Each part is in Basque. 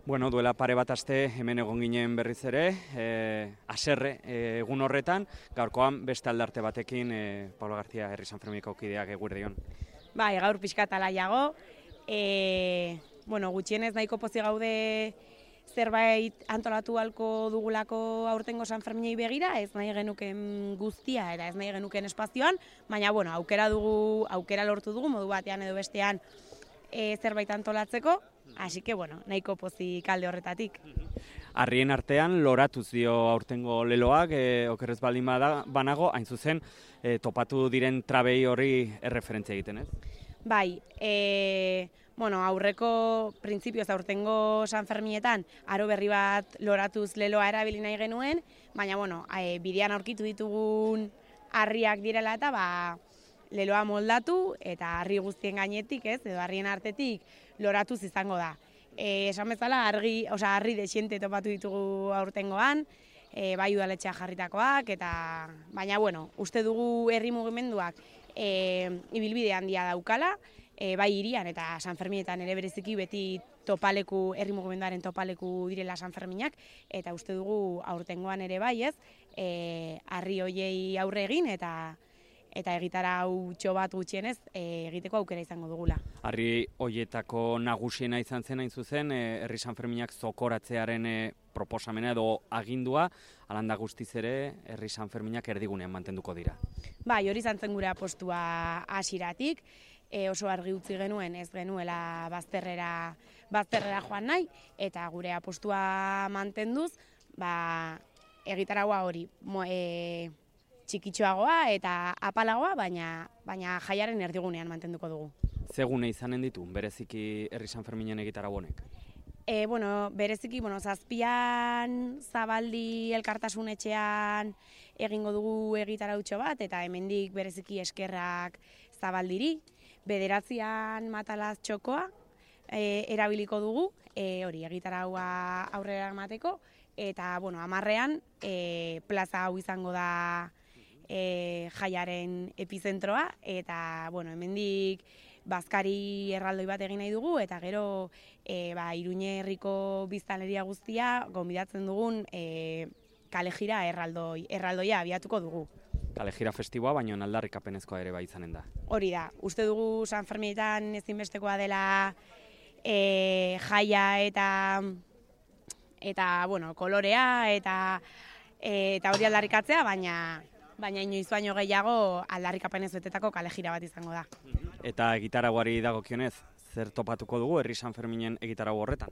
Bueno, duela pare bat aste hemen egon ginen berriz ere, haserre egun horretan, gaurkoan beste aldarte batekin Pablo García Herri Sanfermineko kideak eguerdion. Bai, gaur pixkat alaiago, gutxienez nahiko pozik gaude zerbait antolatu halko dugulako aurtengo Sanferminei begira, ez nahi genuken guztia eta ez nahi genuken espazioan, baina aukera lortu dugu modu batean edo bestean zerbait antolatzeko, hasi que nahiko pozik alde horretatik. Harrien artean loratuz dio aurtengo leloak, okerrez baldin banago, hain zuzen topatu diren trabei hori erreferentzia egiten, ez? Bai, aurreko printzipioz aurtengo Sanferminetan aro berri bat loratuz leloa erabili nahi genuen, baina bidean aurkitu ditugun harriak direla eta leloa moldatu eta harri guztien gainetik, edo harrien artetik loratuz izango da. Esan bezala harri desiente topatu ditugu aurtengoan, bai udaletxea jarritakoak, baina uste dugu herri mugimenduak ibilbide handia daukala, bai hirian eta Sanferminetan ere bereziki beti herri mugimenduaren topaleku direla Sanferminak, eta uste dugu aurtengoan ere bai harri hoiei aurre egin eta egitarau bat gutxienez egiteko aukera izango dugula. Harri hoietako nagusiena izan zen hain zuzen, Herri Sanferminak zokoratzearen proposamena edo agindua, alanda guztiz ere Herri Sanferminak erdigunean mantenduko dira. Bai, hori izan zen gure apustua hasieratik, oso argi utzi genuen ez genuela bazterrera joan nahi, eta gure apustua mantenduz, egitaraua hori txikitxoagoa eta apalagoa, baina jaiaren erdigunean mantenduko dugu. Zegune izanen ditu, bereziki Herri Sanferminen egitarau honek? Bereziki, zazpian Zabaldi elkartasun etxean egingo dugu egitarautxo bat, eta hemendik bereziki eskerrak Zabaldiri. Bederatzian Matalaz txokoa erabiliko dugu, hori egitaraua aurrera emateko, eta 10ean plaza hau izango da jaiaren epizentroa, eta hemendik bazkari erraldoi bat egin nahi dugu, eta gero Iruñe herriko biztanleria guztia gonbidatzen dugun kalejira erraldoia abiatuko dugu. Kalejira festiboa, baina aldarrikapenezkoa ere bai izanen da. Hori da, uste dugu Sanferminetan ezinbestekoa dela jaia eta kolorea eta hori aldarrikatzea, baina inoiz baino gehiago aldarrikapenez betetako kalejira bat izango da. Eta egitarauari dagokionez, zer topatuko dugu Herri Sanferminen egitarau horretan?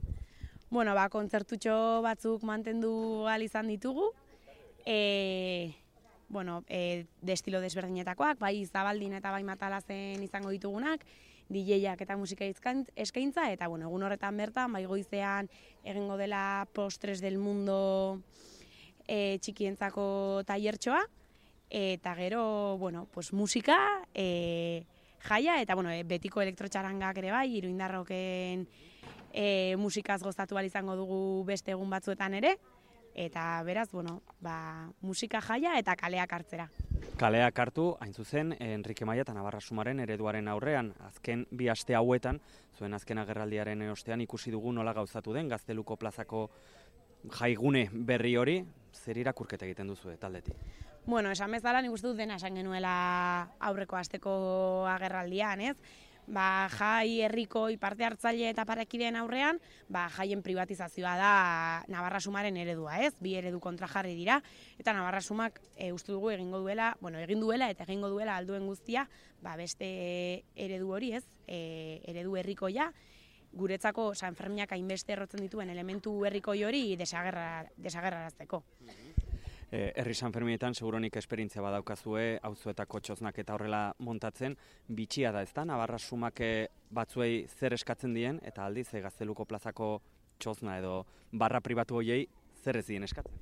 Kontzertutxo batzuk mantendu ahal izan ditugu, de estilo desberdinetakoak, bai Zabaldin eta bai Matalazen izango ditugunak, DJak eta musika eskaintza, eta egun horretan bertan, bai goizean egingo dela Postres del Mundo txikientzako tailertxoa, eta gero, musika, jaia, eta betiko elektrotxarangak ere bai, iruindarroken musikaz gozatu ahal izango dugu beste egun batzuetan ere, eta beraz, musika jaia eta kaleak hartzera. Kaleak hartu, hain zuzen, Enrique Maia eta Navarra Sumaren ereduaren aurrean, azken bi aste hauetan, zuen azken agerraldiaren ostean ikusi dugu nola gauzatu den Gazteluko plazako jaigune berri hori, zer irakurketa egiten duzu taldetik? Esan bezala nik uste dut dena esan genuela aurreko asteko agerraldian, ez? Jai herriko parte hartzaile eta parekideen aurrean, jaien privatizazioa da Navarra Sumaren eredua, ez? Bi eredu kontrajarri dira, eta Navarra Sumak uste dugu egin duela eta egingo duela alduen guztia, beste eredu hori, ez? Eredu herrikoia, guretzako Sanferminak hainbeste errotzen dituen elementu herrikoi hori desagerrarazteko. Herri Sanferminetan seguronik esperientzia badaukazue, auzoetako txoznak eta horrela montatzen, bitxia da, ezta? Navarra Sumak batzuei zer eskatzen dien, eta aldiz Gazteluko plazako txozna edo barra pribatu hoiei zer ez dien eskatzen?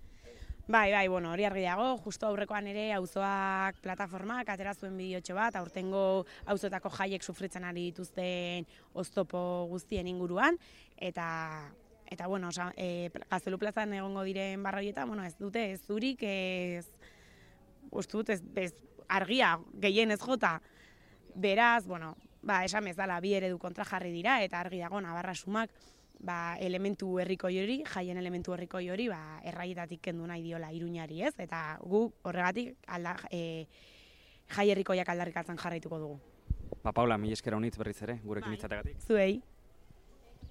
Bai, hori argi dago, justo aurrekoan ere auzoak plataformak atera zuen bideotxo bat, aurtengo auzoetako jaiek sufritzen ari dituzten oztopo guztien inguruan, eta Gaztelu plazan egongo diren barra horietan, ez dute ez zurik, ez argia gehien ez jota. Beraz, esan bezala bi eredu kontra jarri dira, eta argi dago Navarra Sumak elementu herrikoi hori, jaien elementu herrikoi hori, erraietatik kendu nahi diola Iruñari, ez? Eta gu horregatik jai herrikoiak aldarrikatzen jarraituko dugu. Paula, mila esker honitz berriz ere, gurekin izateagatik. Zuei.